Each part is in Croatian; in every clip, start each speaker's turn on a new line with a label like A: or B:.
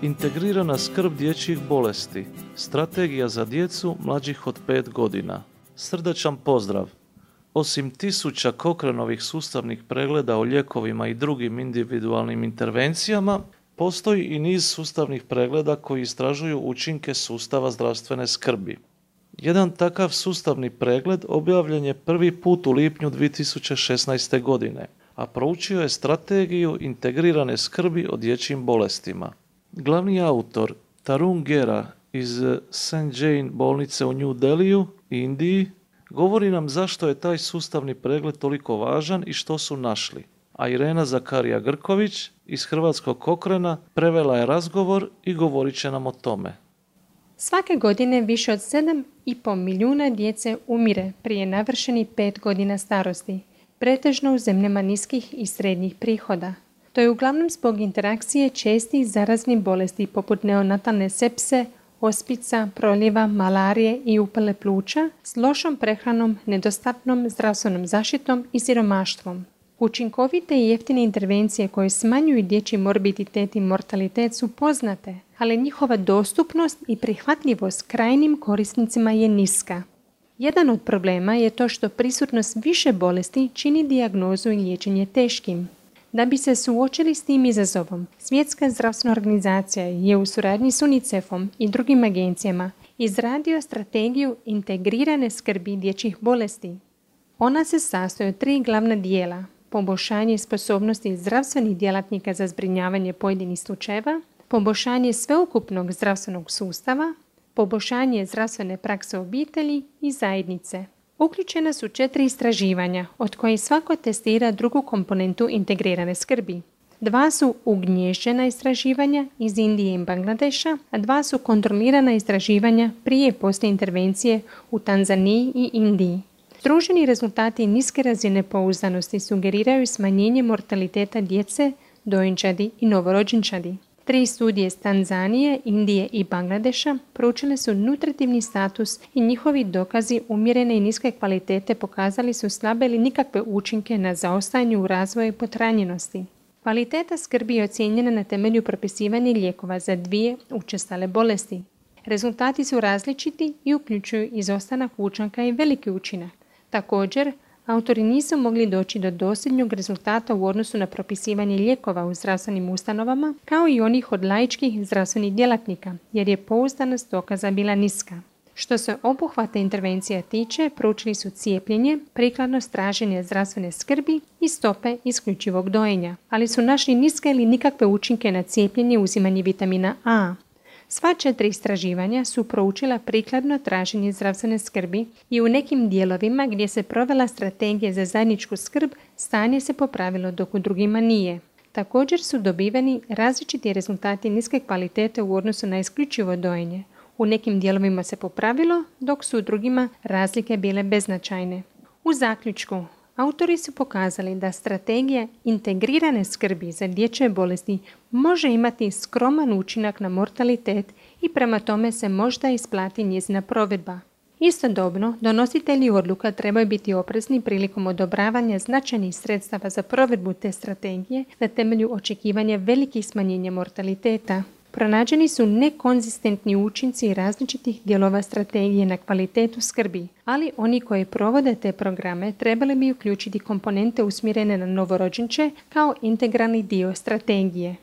A: Integrirana skrb dječjih bolesti. Strategija za djecu mlađih od 5 godina. Srdačan pozdrav! Osim tisuća Cochranovih sustavnih pregleda o lijekovima i drugim individualnim intervencijama, postoji i niz sustavnih pregleda koji istražuju učinke sustava zdravstvene skrbi. Jedan takav sustavni pregled objavljen je prvi put u lipnju 2016. godine, a proučio je strategiju integrirane skrbi o dječjim bolestima. Glavni autor Tarun Gera iz St. Jane bolnice u New Delhiju, Indiji, govori nam zašto je taj sustavni pregled toliko važan i što su našli. A Irena Zakarija Grković iz Hrvatskog Cochrana prevela je razgovor i govorit će nam o tome.
B: Svake godine više od 7,5 milijuna djece umire prije navršenih 5 godina starosti, pretežno u zemljama niskih i srednjih prihoda. To je uglavnom zbog interakcije čestih zaraznih bolesti poput neonatalne sepse, ospica, proljeva, malarije i upale pluća s lošom prehranom, nedostatnom zdravstvenom zaštitom i siromaštvom. Učinkovite i jeftine intervencije koje smanjuju dječji morbiditet i mortalitet su poznate, ali njihova dostupnost i prihvatljivost krajnjim korisnicima je niska. Jedan od problema je to što prisutnost više bolesti čini dijagnozu i liječenje teškim. Da bi se suočili s tim izazovom, Svjetska zdravstvena organizacija je u suradnji s UNICEF-om i drugim agencijama izradio strategiju integrirane skrbi dječjih bolesti. Ona se sastoji od 3 glavna dijela: poboljšanje sposobnosti zdravstvenih djelatnika za zbrinjavanje pojedinih slučajeva, poboljšanje sveukupnog zdravstvenog sustava, poboljšanje zdravstvene prakse obitelji i zajednice. Uključena su 4 istraživanja, od kojih svako testira drugu komponentu integrirane skrbi. 2 su ugnježđena istraživanja iz Indije i Bangladeša, a 2 su kontrolirana istraživanja prije i poslije intervencije u Tanzaniji i Indiji. Združeni rezultati niske razine pouzdanosti sugeriraju smanjenje mortaliteta djece, dojenčadi i novorođenčadi. 3 studije iz Tanzanije, Indije i Bangladeša proučile su nutritivni status i njihovi dokazi umjerene i niske kvalitete pokazali su slabe ili nikakve učinke na zaostajanje u razvoju i potranjenosti. Kvaliteta skrbi je ocijenjena na temelju propisivanja lijekova za 2 učestale bolesti. Rezultati su različiti i uključuju izostanak učinka i veliki učinak. Također, autori nisu mogli doći do dosljednog rezultata u odnosu na propisivanje lijekova u zdravstvenim ustanovama, kao i onih od laičkih zdravstvenih djelatnika, jer je pouzdanost dokaza bila niska. Što se obuhvata intervencija tiče, proučili su cijepljenje, prikladnost traženja zdravstvene skrbi i stope isključivog dojenja, ali su našli niske ili nikakve učinke na cijepljenje i uzimanje vitamina A. Sva 4 istraživanja su proučila prikladno traženje zdravstvene skrbi i u nekim dijelovima gdje se provela strategija za zajedničku skrb, stanje se popravilo dok u drugima nije. Također su dobiveni različiti rezultati niske kvalitete u odnosu na isključivo dojenje. U nekim dijelovima se popravilo, dok su u drugima razlike bile beznačajne. U zaključku, autori su pokazali da strategija integrirane skrbi za dječje bolesti može imati skroman učinak na mortalitet i prema tome se možda isplati njezina provedba. Istodobno, donositelji odluka trebaju biti oprezni prilikom odobravanja značajnih sredstava za provedbu te strategije na temelju očekivanja velikih smanjenja mortaliteta. Pronađeni su nekonzistentni učinci različitih dijelova strategije na kvalitetu skrbi, ali oni koji provode te programe trebali bi uključiti komponente usmjerene na novorođenče kao integralni dio strategije.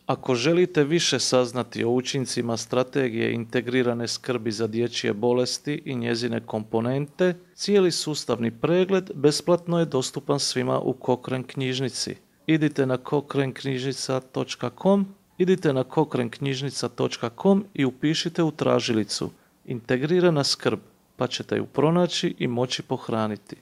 A: Ako želite više saznati o učincima strategije integrirane skrbi za dječje bolesti i njezine komponente, cijeli sustavni pregled besplatno je dostupan svima u Cochrane knjižnici. Idite na cochraneknjižnica.com i upišite u tražilicu integrirana skrb, pa ćete ju pronaći i moći pohraniti.